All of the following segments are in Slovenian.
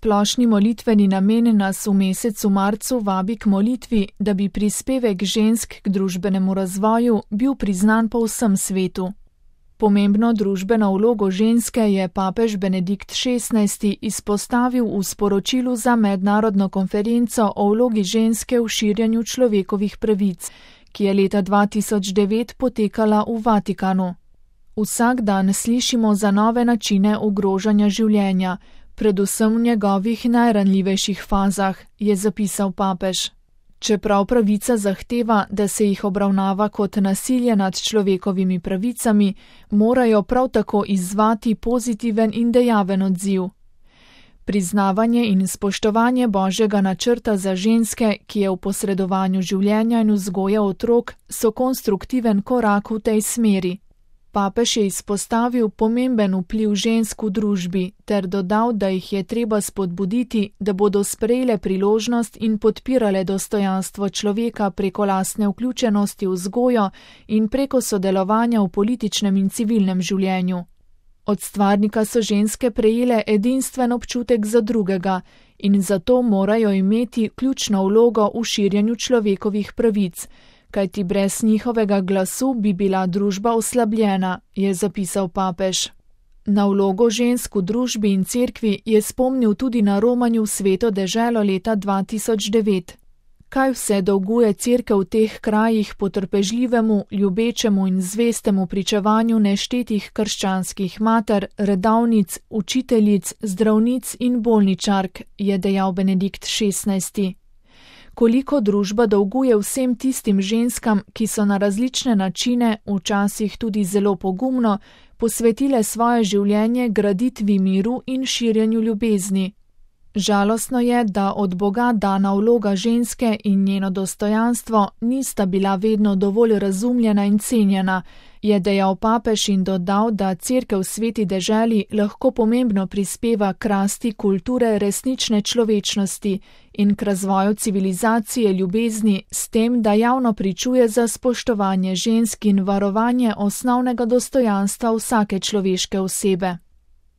Splošni molitveni namen nas v mesecu marcu vabi k molitvi, da bi prispevek žensk k družbenemu razvoju bil priznan po vsem svetu. Pomembno družbeno vlogo ženske je papež Benedikt XVI izpostavil v sporočilu za mednarodno konferenco o vlogi ženske v širjenju človekovih pravic, ki je leta 2009 potekala v Vatikanu. Vsak dan slišimo za nove načine ogrožanja življenja, predvsem v njegovih najranljivejših fazah, je zapisal papež. Čeprav pravica zahteva, da se jih obravnava kot nasilje nad človekovimi pravicami, morajo prav tako izzvati pozitiven in dejaven odziv. Priznavanje in spoštovanje Božjega načrta za ženske, ki je v posredovanju življenja in vzgoje otrok, so konstruktiven korak v tej smeri. Papež je izpostavil pomemben vpliv žensk v družbi ter dodal, da jih je treba spodbuditi, da bodo sprejele priložnost in podpirale dostojanstvo človeka preko lastne vključenosti v vzgojo in preko sodelovanja v političnem in civilnem življenju. Od stvarnika so ženske prejele edinstven občutek za drugega in zato morajo imeti ključno vlogo v širjenju človekovih pravic, kajti brez njihovega glasu bi bila družba oslabljena, je zapisal papež. Na vlogo žensk v družbi in cerkvi je spomnil tudi na romanju v Sveto deželo leta 2009. Kaj vse dolguje cerkev v teh krajih potrpežljivemu, ljubečemu in zvestemu pričevanju neštetih krščanskih mater, redavnic, učiteljic, zdravnic in bolničark, je dejal Benedikt XVI. Koliko družba dolguje vsem tistim ženskam, ki so na različne načine, včasih tudi zelo pogumno, posvetile svoje življenje graditvi miru in širjenju ljubezni. Žalostno je, da od Boga dana vloga ženske in njeno dostojanstvo nista bila vedno dovolj razumljena in cenjena, je dejal papež in dodal, da cerkev v Sveti deželi lahko pomembno prispeva k rasti kulture resnične človečnosti in k razvoju civilizacije ljubezni s tem, da javno pričuje za spoštovanje žensk in varovanje osnovnega dostojanstva vsake človeške osebe.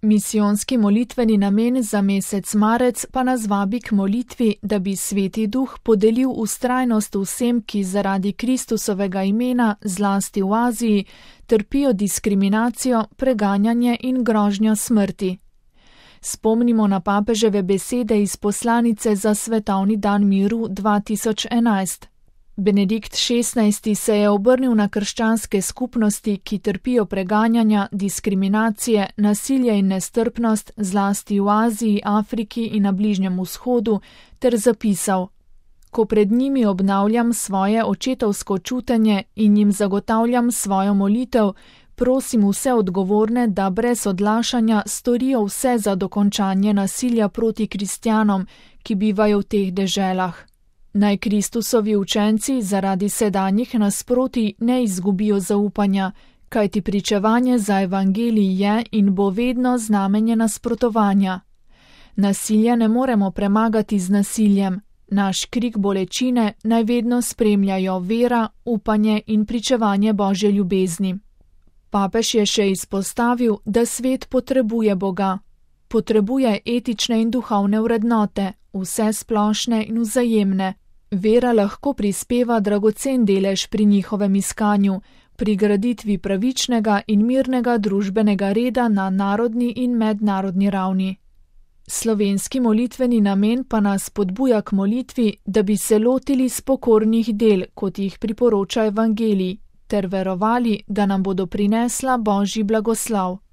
Misijonski molitveni namen za mesec marec pa nas vabi k molitvi, da bi Sveti Duh podelil vztrajnost vsem, ki zaradi Kristusovega imena, zlasti v Aziji, trpijo diskriminacijo, preganjanje in grožnjo smrti. Spomnimo na papeževe besede iz poslanice za Svetovni dan miru 2011. Benedikt XVI se je obrnil na krščanske skupnosti, ki trpijo preganjanja, diskriminacije, nasilje in nestrpnost, zlasti v Aziji, Afriki in na Bližnjem vzhodu, ter zapisal: Ko pred njimi obnavljam svoje očetovsko čutenje in jim zagotavljam svojo molitev, prosim vse odgovorne, da brez odlašanja storijo vse za dokončanje nasilja proti kristjanom, ki bivajo v teh deželah. Naj Kristusovi učenci zaradi sedanjih nasprotij ne izgubijo zaupanja, kajti pričevanje za evangelij je in bo vedno znamenje nasprotovanja. Nasilja ne moremo premagati z nasiljem, naš krik bolečine naj vedno spremljajo vera, upanje in pričevanje Božje ljubezni. Papež je še izpostavil, da svet potrebuje Boga. Potrebuje etične in duhovne vrednote, vse splošne in vzajemne. Vera lahko prispeva dragocen delež pri njihovem iskanju, pri graditvi pravičnega in mirnega družbenega reda na narodni in mednarodni ravni. Slovenski molitveni namen pa nas spodbuja k molitvi, da bi se lotili spokornih del, kot jih priporoča evangelij, ter verovali, da nam bodo prinesla Božji blagoslov.